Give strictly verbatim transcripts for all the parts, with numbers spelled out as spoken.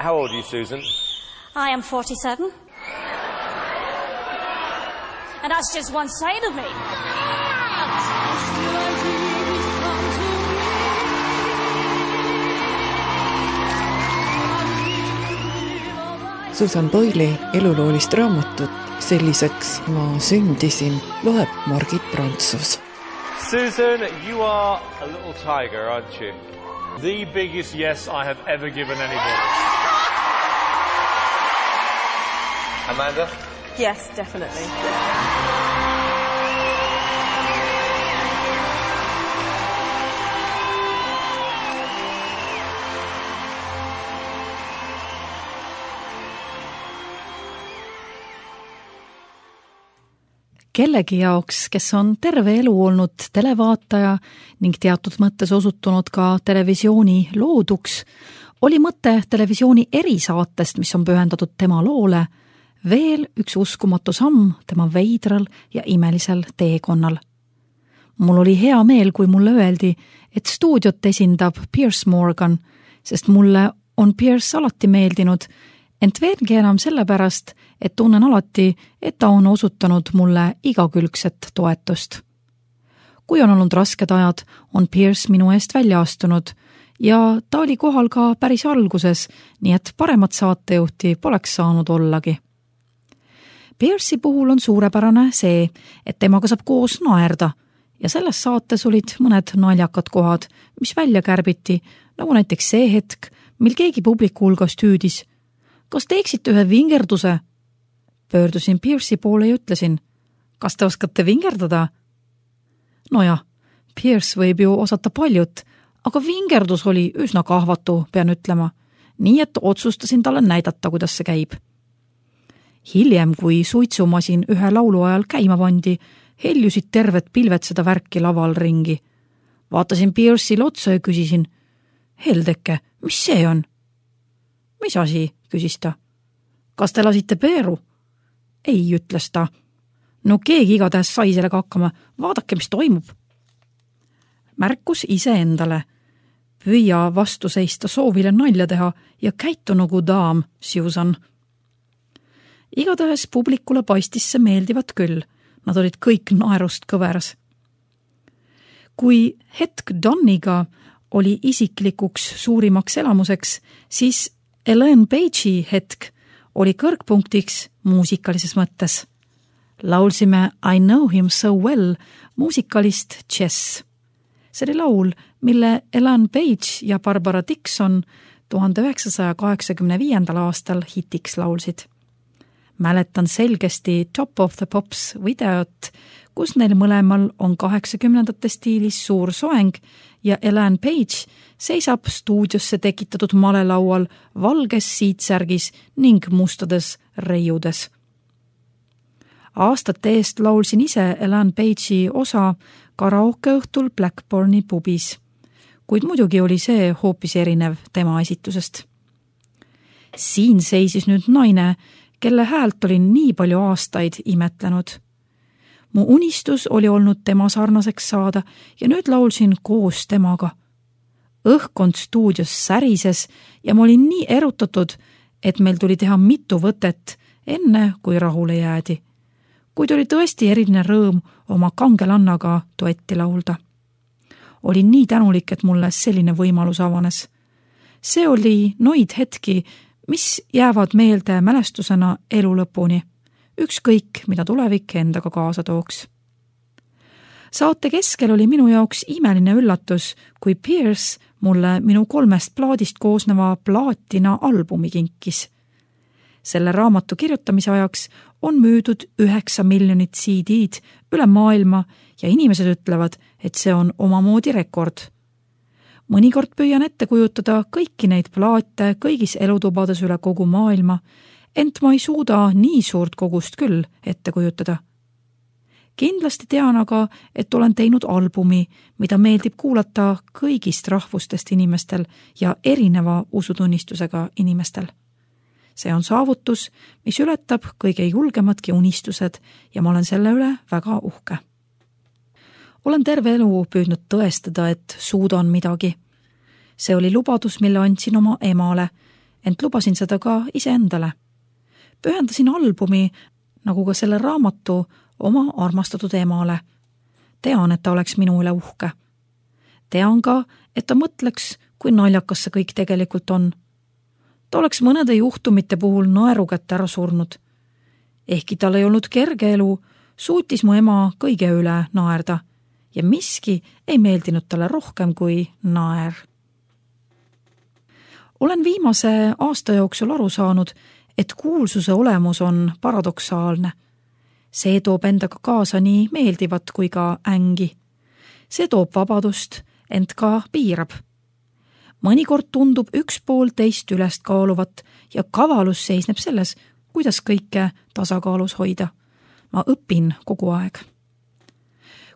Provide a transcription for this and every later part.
How old are you, Susan? I am forty-seven. And that's just one side of me. Susan Boyle'i eluloolist raamatut Selliseks ma sündisin loeb Margit Prantsus. Susan, you are a little tiger, aren't you? The biggest yes I have ever given anybody. Amanda? Yes, definitely. Kellegi jaoks, kes on terve elu olnud televaataja ning teatud mõttes osutunud ka televisiooni looduks, oli mõte televisiooni erisaatest, mis on pühendatud tema loole, veel üks uskumatu samm tema veidral ja imelisel teekonnal. Mul oli hea meel, kui mulle öeldi, et stuudiot esindab Piers Morgan, sest mulle on Piers alati meeldinud, ent veelgi enam sellepärast, et tunnen alati, et ta on osutanud mulle igakülgset toetust. Kui on olnud rasked ajad, on Piers minu eest välja astunud ja ta oli kohal ka päris alguses, nii et paremat saatejuhti poleks saanud ollagi. Piersi puhul on suurepärane see, et temaga saab koos naerda ja selles saates olid mõned naljakad kohad, mis välja kärbiti, nagu näiteks see hetk, mil keegi publiku hulgast hüüdis: kas teeksite ühe vingerduse? Pöördusin Piersi poole ja ütlesin: kas te oskate vingerdada? Nojah, Piers võib ju osata paljut, aga vingerdus oli üsna kahvatu, pean ütlema, nii et otsustasin talle näidata, kuidas see käib. Hiljem, kui suitsumasin ühe laulu ajal käima pandi, heljusid terved pilved seda värki laval ringi. Vaatasin Piersile otsa ja küsisin: Heldeke, mis see on? Mis asi, küsis ta. Kas te lasite peeru? Ei, ütles ta. No keegi igatahes sai sellega hakkama, vaadake, mis toimub. Märkus ise endale. Püüa vastu seista soovile nalja teha ja käitu nagu daam, Susan. Igatahes publikule paistis see meeldivat küll. Nad olid kõik naerust kõveras. Kui hetk Donniga oli isiklikuks suurimaks elamuseks, siis Elaine Page'i hetk oli kõrgpunktiks muusikalises mõttes. Laulsime I Know Him So Well muusikalist Chess. See oli laul, mille Elaine Page ja Barbara Dixon tuhande üheksasaja kaheksakümne viiendal aastal hitiks laulsid. Mäletan selgesti Top of the Pops videot, kus neil mõlemal on kaheksakümnendate stiilis suur soeng ja Elaine Page seisab stuudiosse tekitatud malelaual valges siitsärgis ning mustades reiudes. Aastate eest laulsin ise Elaine Page'i osa karaokeõhtul Blackburni pubis, kuid muidugi oli see hoopis erinev tema esitusest. Siin seisis nüüd naine, kelle häält olin nii palju aastaid imetlenud. Mu unistus oli olnud tema sarnaseks saada ja nüüd laulsin koos temaga. Õhkond stuudios särises ja ma olin nii erutatud, et meil tuli teha mitu võtet, enne kui rahule jäädi. Kuid oli tõesti eriline rõõm oma kangelannaga duetti laulda. Olin nii tänulik, et mulle selline võimalus avanes. See oli noid hetki, mis jäävad meelde mälestusena elu lõpuni, ükskõik, mida tulevik endaga kaasa tooks. Saate keskel oli minu jaoks imeline üllatus, kui Piers mulle minu kolmest plaadist koosneva plaatina albumi kinkis. Selle raamatu kirjutamise ajaks on müüdud üheksa miljonit C D-d üle maailma ja inimesed ütlevad, et see on omamoodi rekord. Mõnikord püüan ette kujutada kõiki neid plaate kõigis elutubades üle kogu maailma, ent ma ei suuda nii suurt kogust küll ette kujutada. Kindlasti tean aga, et olen teinud albumi, mida meeldib kuulata kõigist rahvustest inimestel ja erineva usutunnistusega inimestel. See on saavutus, mis ületab kõige julgemadki unistused ja ma olen selle üle väga uhke. Olen terve elu püüdnud tõestada, et suudan midagi. See oli lubadus, mille andsin oma emale, ent lubasin seda ka iseendale. Pühendasin albumi, nagu ka selle raamatu, oma armastatud emale. Tean, et ta oleks minu üle uhke. Tean ka, et ta mõtleks, kui naljakas see kõik tegelikult on. Ta oleks mõnede juhtumite puhul naerukätte ära surnud. Ehkki tal ei olnud kerge elu, suutis mu ema kõige üle naerda ja miski ei meeldinud talle rohkem kui naer. Olen viimase aasta jooksul aru saanud, et kuulsuse olemus on paradoksaalne. See toob endaga kaasa nii meeldivat kui ka ängi. See toob vabadust, ent ka piirab. Mõnikord tundub üks pool teist ülest kaaluvat ja kavalus seisneb selles, kuidas kõike tasakaalus hoida. Ma õpin kogu aeg.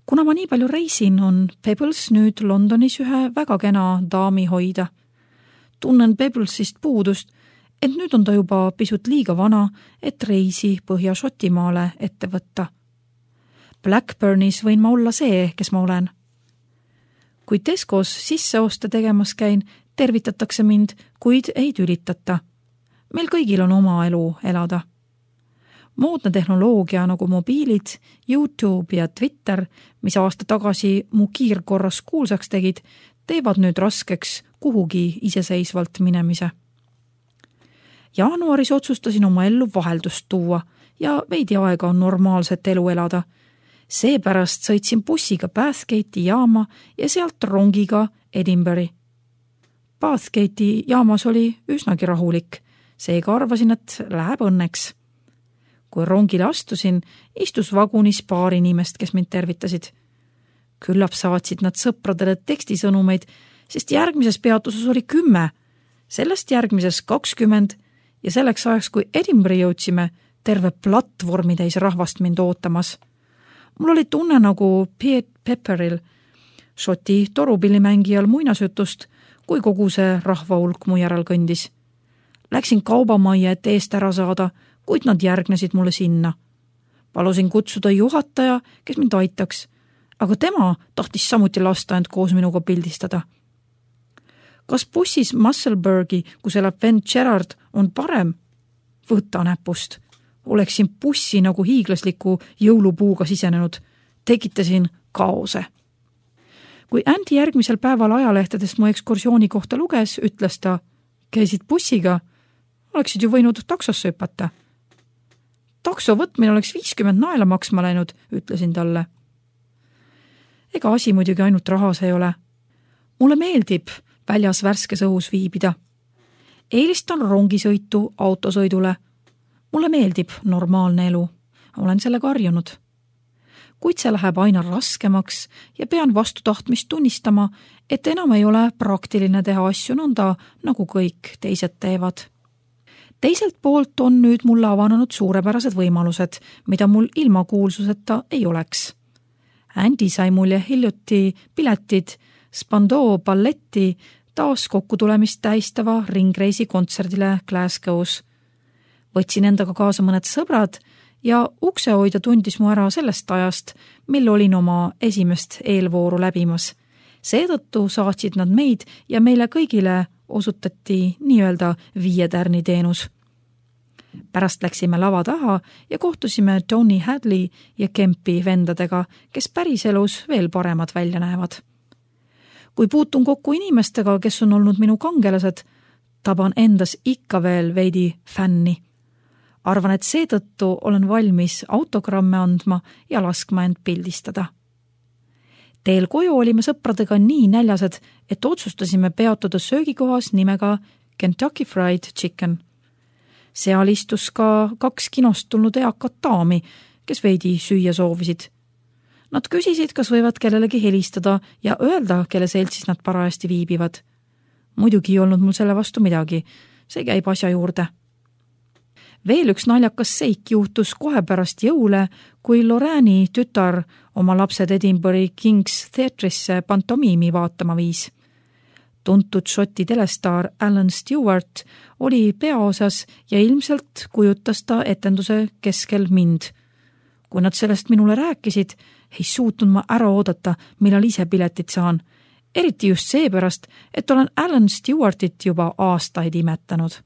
Kuna ma nii palju reisin, on Pebbles nüüd Londonis ühe väga kena daami hoida. Tunnen Pebblesist puudust, et nüüd on ta juba pisut liiga vana, et reisi Põhja-Šotimaale ette võtta. Blackburnis võin ma olla see, kes ma olen. Kui Tescos sisseoste tegemas käin, tervitatakse mind, kuid ei tülitata. Meil kõigil on oma elu elada. Moodne tehnoloogia nagu mobiilid, YouTube ja Twitter, mis aasta tagasi mu kiirkorras kuulsaks tegid, teevad nüüd raskeks kuhugi iseseisvalt minemise. Jaanuaris otsustasin oma ellu vaheldust tuua ja veidi aega on normaalset elu elada. Seepärast sõitsin bussiga Bathgate'i jaama ja sealt rongiga Edinburghi. Bathgate'i jaamas oli üsnagi rahulik, seega arvasin, et läheb õnneks. Kui rongile astusin, istus vagunis paar inimest, kes mind tervitasid. Küllap saatsid nad sõpradele tekstisõnumeid, sest järgmises peatuses oli kümme, sellest järgmises kakskümmend ja selleks ajaks, kui Edinburghi jõudsime, terve platvormitäis rahvast mind ootamas. Mul oli tunne nagu Piet Pepperil, Šoti torupillimängijal muinasjutust, kui kogu see rahvahulk mu järel kõndis. Läksin kaubamajja, et eest ära saada, kuid nad järgnesid mulle sinna. Palusin kutsuda juhataja, kes mind aitaks, aga tema tahtis samuti lasta end koos minuga pildistada. Kas bussis Musselburghi, kus elab vend Gerard, on parem? Võta näpust. Oleksin bussi nagu hiiglasliku jõulupuuga sisenenud. Tekitasin kaose. Kui Andy järgmisel päeval ajalehtedest mu ekskursiooni kohta luges, ütles ta, käisid bussiga, oleksid ju võinud taksosse hüpata. Takso võtmine oleks viiskümmend naela maksma läinud, ütlesin talle. Ega asi muidugi ainult rahas ei ole. Mulle meeldib väljas värskes õhus viibida. Eelistan rongisõitu autosõidule. Mulle meeldib normaalne elu. Olen sellega harjunud. Kuid see läheb aina raskemaks ja pean vastu tahtmist tunnistama, et enam ei ole praktiline teha asju nõnda, nagu kõik teised teevad. Teiselt poolt on nüüd mulle avanenud suurepärased võimalused, mida mul ilma kuulsuseta ei oleks. Andy sai mulje hiljuti piletid Spandau balletti taas kokkutulemist tähistava ringreisi kontserdile Glasgow's. Võtsin endaga kaasa mõned sõbrad ja uksehoidja tundis mu ära sellest ajast, mil olin oma esimest eelvooru läbimas. Seetõttu saatsid nad meid ja meile kõigile osutati nii-öelda viie tärni teenus. Pärast läksime lava taha ja kohtusime Tony Hadley ja Kempi vendadega, kes päriselus veel paremad välja näevad. Kui puutun kokku inimestega, kes on olnud minu kangelased, taban endas ikka veel veidi fänni. Arvan, et seetõttu olen valmis autogramme andma ja laskma end pildistada. Teel koju olime sõpradega nii näljased, et otsustasime peatuda söögikohas nimega Kentucky Fried Chicken. Seal istus ka kaks kinost tulnud eakat daami, kes veidi süüa soovisid. Nad küsisid, kas võivad kellelegi helistada ja öelda, kelle seltsis nad parajasti viibivad. Muidugi ei olnud mul selle vastu midagi, see käib asja juurde. Veel üks naljakas seik juhtus kohe pärast jõule, kui Lorraine'i tütar oma lapsed Edinburghi King's Theatre'isse pantomiimi vaatama viis. Tuntud Šoti telestaar Alan Stewart oli peaosas ja ilmselt kujutas ta etenduse keskel mind. Kui nad sellest minule rääkisid, ei suutnud ma ära oodata, millal ise piletit saan. Eriti just seepärast, et olen Alan Stewartit juba aastaid imetanud.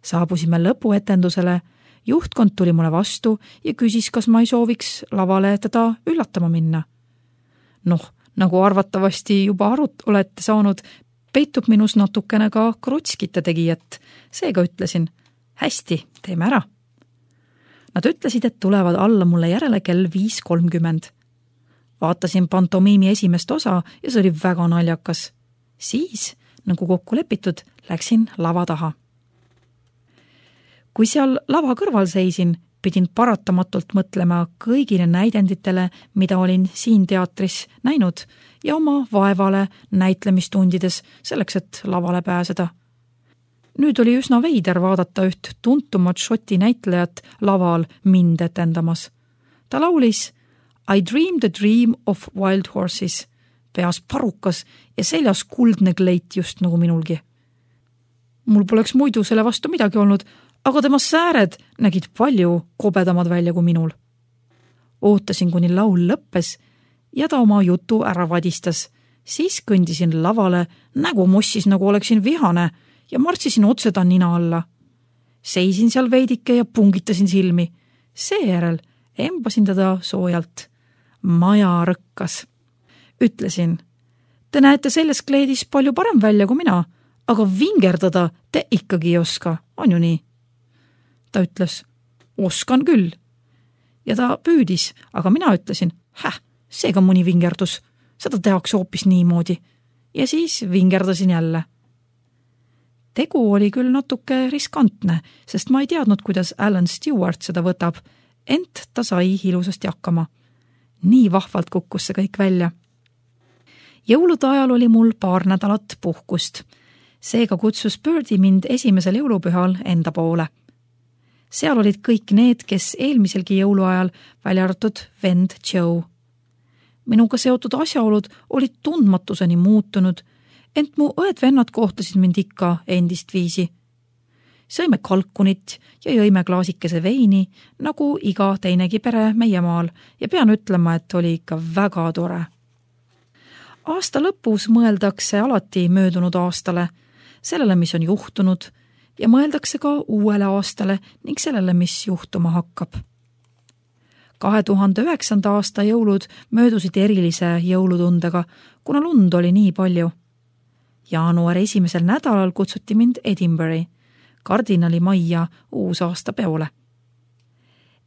Saabusime lõpuetendusele, juhtkond tuli mulle vastu ja küsis, kas ma ei sooviks lavale teda üllatama minna. Noh, nagu arvatavasti juba arut olete saanud, peitub minus natukene ka krutskite tegijat. Seega ütlesin, hästi, teeme ära. Nad ütlesid, et tulevad alla mulle järele kell viis kolmkümmend. Vaatasin pantomiimi esimest osa ja see oli väga naljakas. Siis, nagu kokku lepitud, läksin lava taha. Kui seal lava kõrval seisin, pidin paratamatult mõtlema kõigile näidenditele, mida olin siin teatris näinud ja oma vaevale näitlemistundides selleks, et lavale pääseda. Nüüd oli üsna veider vaadata üht tuntumat šoti näitlejat laval mind etendamas. Ta laulis I dreamed a dream of wild horses, peas parukas ja seljas kuldne kleit just nagu minulgi. Mul poleks muidu selle vastu midagi olnud, aga tema sääred nägid palju kobedamad välja kui minul. Ootasin, kuni laul lõppes ja ta oma jutu ära vadistas. Siis kõndisin lavale, nägu mossis nagu oleksin vihane ja martsisin otse ta nina alla. Seisin seal veidike ja pungitasin silmi. Seejärel embasin teda soojalt. Maja rõkkas. Ütlesin, te näete selles kleedis palju parem välja kui mina, aga vingerdada te ikkagi ei oska, on ju nii? Ta ütles, oskan küll. Ja ta püüdis, aga mina ütlesin, häh, seega mõni vingerdus. Seda tehakse hoopis niimoodi. Ja siis vingerdasin jälle. Tegu oli küll natuke riskantne, sest ma ei teadnud, kuidas Alan Stewart seda võtab, ent ta sai ilusasti hakkama. Nii vahvalt kukkus see kõik välja. Jõulude ajal oli mul paar nädalat puhkust. Seega kutsus Birdie mind esimesel jõulupühal enda poole. Seal olid kõik need, kes eelmiselgi jõuluajal välja arvatud vend Joe. Minuga seotud asjaolud olid tundmatuseni muutunud, ent mu õed-vennad kohtasid mind ikka endist viisi. Sõime kalkunit ja jõime klaasikese veini, nagu iga teinegi pere meie maal, ja pean ütlema, et oli ikka väga tore. Aasta lõpus mõeldakse alati möödunud aastale, sellele, mis on juhtunud, ja mõeldakse ka uuele aastale ning sellele, mis juhtuma hakkab. kahe tuhande üheksanda aasta jõulud möödusid erilise jõulutundega, kuna lund oli nii palju. Jaanuari esimesel nädalal kutsuti mind Edinburghi, kardinali majja uusaasta peole.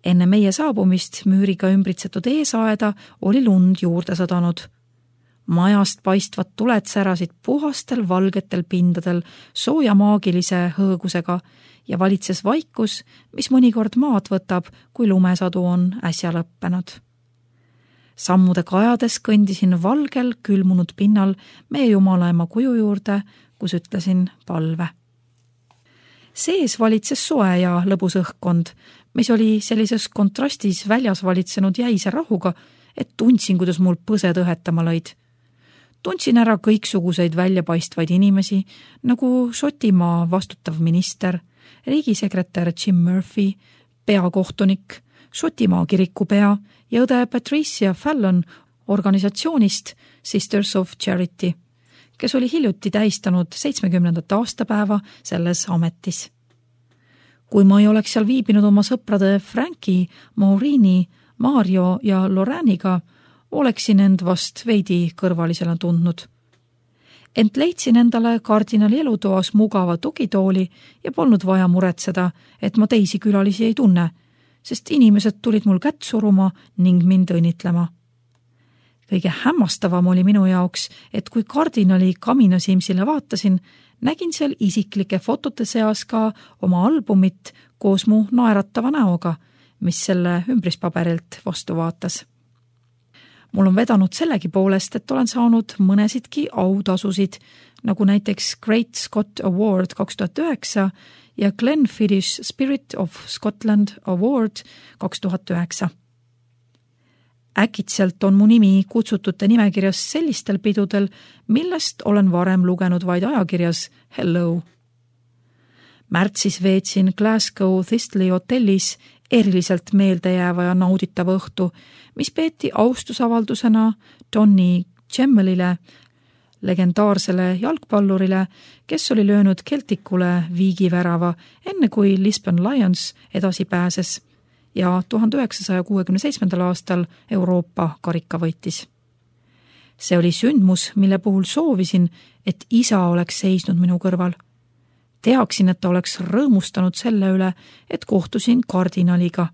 Enne meie saabumist müüriga ümbritsetud eesaeda oli lund juurde sadanud. Majast paistvad tuled särasid puhastel valgetel pindadel sooja maagilise hõõgusega ja valitses vaikus, mis mõnikord maad võtab, kui lumesadu on äsja lõppenud. Sammude kajades kõndisin valgel külmunud pinnal meie jumalaema kuju juurde, kus ütlesin palve. Sees valitses soe ja lõbus õhkkond, mis oli sellises kontrastis väljas valitsenud jäise rahuga, et tundsin, kuidas mul põsed õhetama lõid. Tundsin ära kõiksuguseid väljapaistvaid inimesi, nagu Šotimaa vastutav minister, riigisekretär Jim Murphy, peakohtunik, Šotimaa kirikupea ja õde Patricia Fallon organisatsioonist Sisters of Charity, kes oli hiljuti tähistanud seitsmekümnendat aastapäeva selles ametis. Kui ma ei oleks seal viibinud oma sõprade Franki, Maurini, Mario ja Loraniga, oleksin end vast veidi kõrvalisena tundnud. Ent leidsin endale kardinali elutoas mugava tugitooli ja polnud vaja muretseda, et ma teisi külalisi ei tunne, sest inimesed tulid mul kätt suruma ning mind õnnitlema. Kõige hämmastavam oli minu jaoks, et kui kardinali kaminasimsile vaatasin, nägin seal isiklike fotote seas ka oma albumit koos mu naeratava näoga, mis selle ümbrispaberilt vastu vaatas. Mul on vedanud sellegi poolest, et olen saanud mõnesidki autasusid, nagu näiteks Great Scott Award kaks tuhat üheksa ja Glenfiddich Spirit of Scotland Award kaks tuhat üheksa. Äkitselt on mu nimi kutsutute nimekirjas sellistel pidudel, millest olen varem lugenud vaid ajakirjas Hello. Märtsis veetsin Glasgow Thistley hotellis eriliselt meeldejääva ja nauditava õhtu, mis peeti austusavaldusena Donny Gemmelile, legendaarsele jalgpallurile, kes oli löönud Celticule viigivärava, enne kui Lisbon Lions edasi pääses ja tuhande üheksasaja kuuekümne seitsmendal aastal Euroopa karika võitis. See oli sündmus, mille puhul soovisin, et isa oleks seisnud minu kõrval. Teaksin, et ta oleks rõõmustanud selle üle, et kohtusin kardinaliga.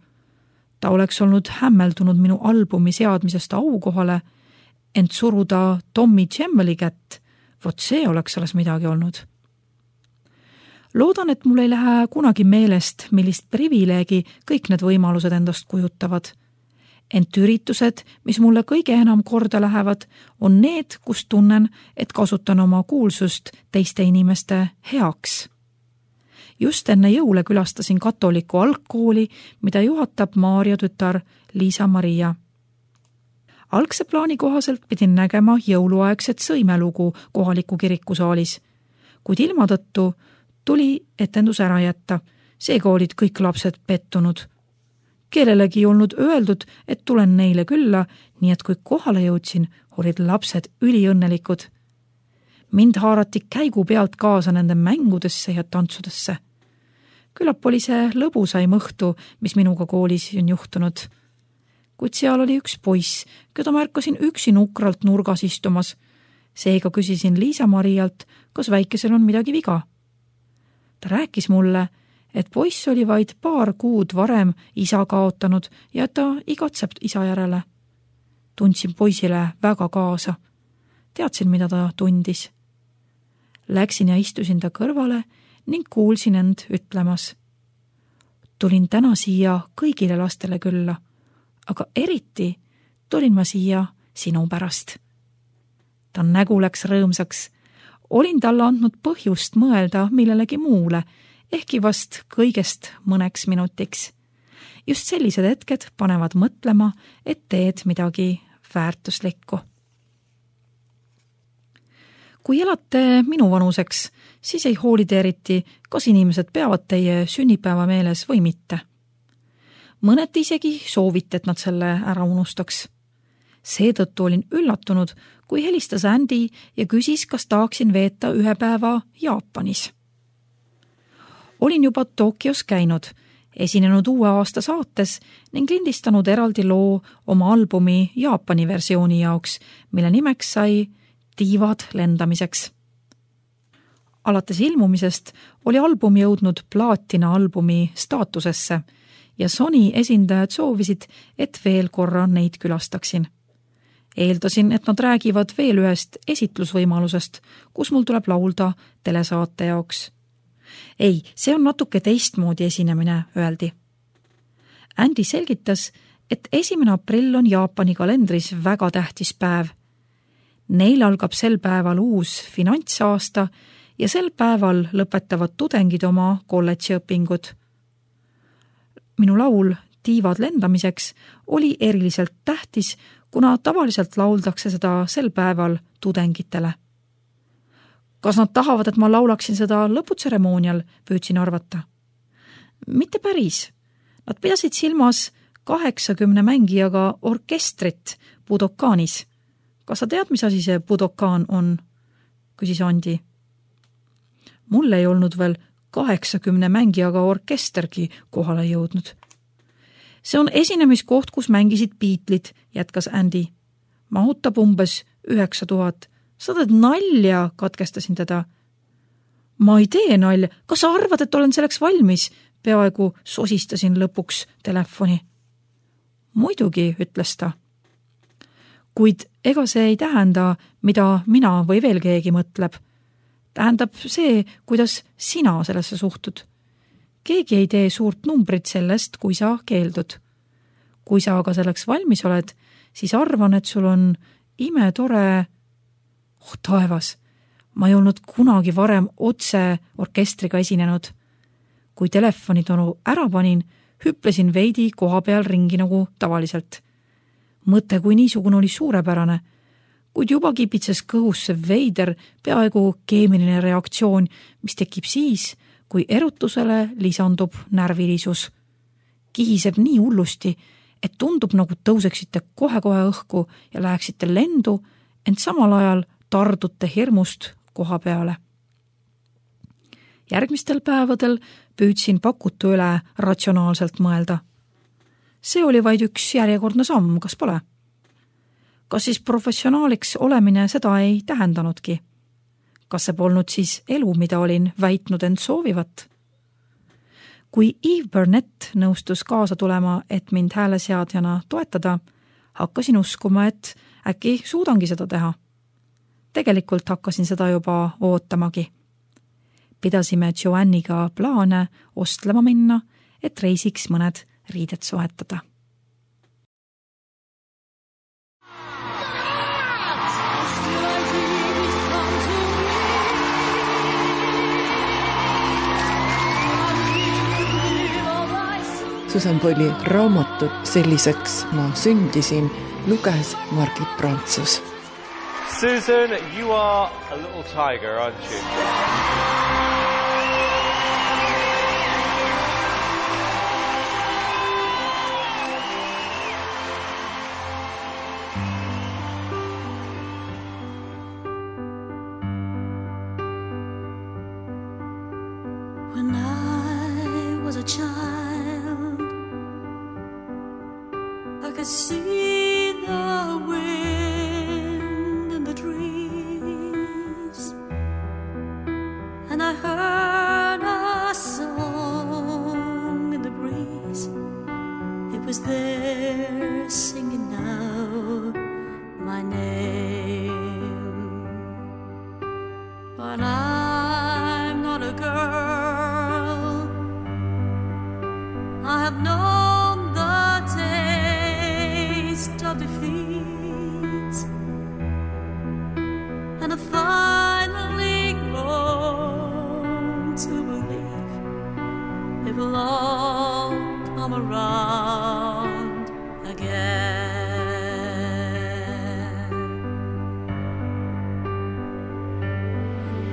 Ta oleks olnud hämmeldunud minu albumi seadmisest aukohale, ent suruda Tommy Gemmeli kätt, vot see oleks alles midagi olnud. Loodan, et mul ei lähe kunagi meelest, millist privileegi kõik need võimalused endast kujutavad. Ent üritused, mis mulle kõige enam korda lähevad, on need, kus tunnen, et kasutan oma kuulsust teiste inimeste heaks. Just enne jõule külastasin katoliku algkooli, mida juhatab Maarja tütar Liisa Maria. Algse plaani kohaselt pidin nägema jõuluaegset sõimelugu kohaliku kirikusaalis, kuid ilma tõttu tuli etendus ära jätta, seega olid kõik lapsed pettunud. Kellelegi ei olnud öeldud, et tulen neile külla, nii et kui kohale jõudsin, olid lapsed üliõnnelikud. Mind haarati käigu pealt kaasa nende mängudesse ja tantsudesse. Küllap oli see lõbusai mõhtu, mis minuga koolis on juhtunud. Kuid seal oli üks poiss, keda märkasin üksi nukralt nurgas istumas. Seega küsisin Liisa Marialt, kas väikesel on midagi viga. Ta rääkis mulle, et poiss oli vaid paar kuud varem isa kaotanud ja ta igatseb isa järele. Tundsin poisile väga kaasa. Teadsin, mida ta tundis. Läksin ja istusin ta kõrvale ning kuulsin end ütlemas. Tulin täna siia kõigile lastele külla, aga eriti tulin ma siia sinu pärast. Ta nägu läks rõõmsaks. Olin talle andnud põhjust mõelda millelegi muule, ehkki vast kõigest mõneks minutiks. Just sellised hetked panevad mõtlema, et teed midagi väärtuslikku. Kui elate minu vanuseks, siis ei hoolide eriti, kas inimesed peavad teie sünnipäeva meeles või mitte. Mõned isegi soovite, et nad selle ära unustaks. Seetõttu olin üllatunud, kui helistas Andy ja küsis, kas tahaksin veeta ühe päeva Jaapanis. Olin juba Tokios käinud, esinenud uue aasta saates ning lindistanud eraldi loo oma albumi Jaapani versiooni jaoks, mille nimeks sai Tiivad lendamiseks. Alates ilmumisest oli album jõudnud plaatina albumi staatusesse ja Sony esindajad soovisid, et veel korra neid külastaksin. Eeldasin, et nad räägivad veel ühest esitlusvõimalusest, kus mul tuleb laulda telesaate jaoks. Ei, see on natuke teistmoodi esinemine, öeldi. Andy selgitas, et esimene aprill on Jaapani kalendris väga tähtis päev. Neil algab sel päeval uus finantsaasta ja sel päeval lõpetavad tudengid oma kolledžiõpingud. Minu laul Tiivad lendamiseks oli eriliselt tähtis, kuna tavaliselt lauldakse seda sel päeval tudengitele. Kas nad tahavad, et ma laulaksin seda lõputseremoonial, püüdsin arvata? Mitte päris. Nad pidasid silmas kaheksakümne mängijaga orkestrit Budokaanis. Kas sa tead, mis asi see Budokaan on? Küsis Andi. Mul ei olnud veel kaheksakümne mängijaga orkestergi kohale jõudnud. See on esinemiskoht, kus mängisid Beatlid, jätkas Andy. Mahutab umbes üheksa tuhat. Sa teed nalja, katkestasin teda. Ma ei tee nalja. Kas sa arvad, et olen selleks valmis? Peaaegu sosistasin lõpuks telefoni. Muidugi, ütles ta. Kuid ega see ei tähenda, mida mina või veel keegi mõtleb. Tähendab see, kuidas sina sellesse suhtud. Keegi ei tee suurt numbrit sellest, kui sa keeldud. Kui sa aga selleks valmis oled, siis arvan, et sul on ime tore... Oh, taevas, ma ei olnud kunagi varem otse orkestriga esinenud. Kui telefonitonu ära panin, hüplesin veidi koha peal ringi nagu tavaliselt. Mõte kui niisugune oli suurepärane, kuid juba kipitses kõhus see veider, peaaegu keemiline reaktsioon, mis tekib siis, kui erutusele lisandub närvilisus. Kihiseb nii hullusti, et tundub nagu tõuseksite kohe-kohe õhku ja läheksite lendu, ent samal ajal tardute hirmust koha peale. Järgmistel päevadel püüdsin pakutu üle ratsionaalselt mõelda. See oli vaid üks järjekordne samm, kas pole? Kas siis professionaaliks olemine seda ei tähendanudki? Kas see polnud siis elu, mida olin väitnud end soovivat? Kui Eve Burnett nõustus kaasa tulema, et mind hääleseadjana toetada, hakkasin uskuma, et äkki suudangi seda teha. Tegelikult hakkasin seda juba ootamagi. Pidasime Joanniga plaane ostlema minna, et reisiks mõned riided soetada. Susan Boyle'i raamatut Selliseks ma sündisin luges Margit Prantsus. Susan, you are a little tiger, aren't you? When I was a child, I could see the wind in the trees, and I heard a song in the breeze. It was there singing out my name. But I'm not a girl, I have known the taste of defeat, and I finally grown to believe it will all come around again.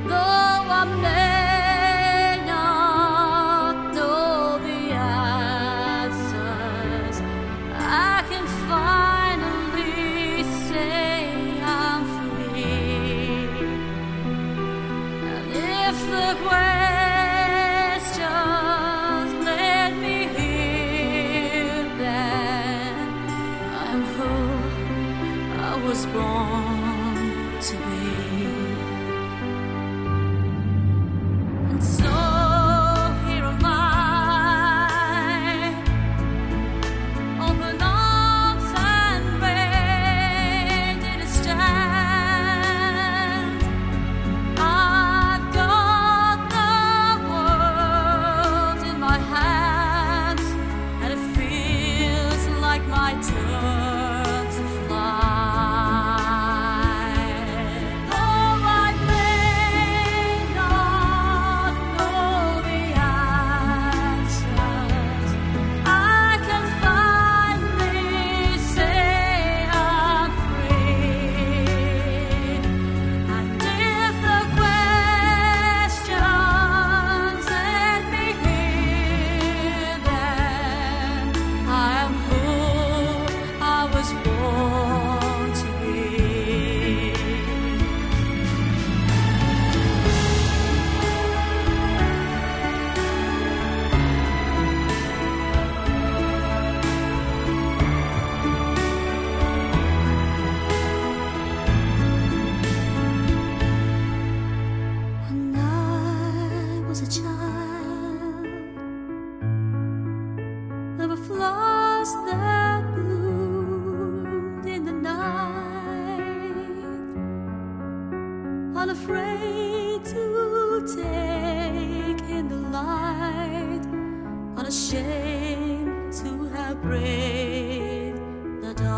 Though I may not know the answers, I can finally say I'm free. And if the questions let me hear, then I'm who I was born to be. And so here am I, open arms and ready to stand. I've got the world in my hands, and it feels like my turn to fly. Though I may not know the answers, I can finally say I'm free. And if the questions let me hear, then I am who I was born to be. When I was a child, there were flowers that bloomed in the night, unafraid to take in the light, unashamed to have braved the dark.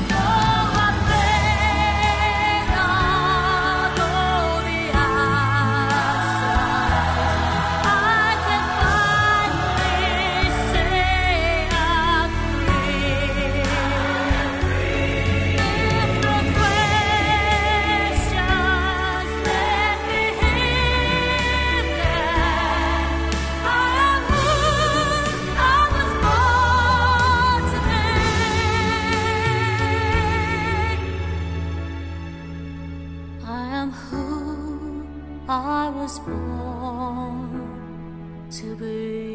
Though I may not know the answers, I can finally say I'm free. If the questions let me hear, then I am who I was born to be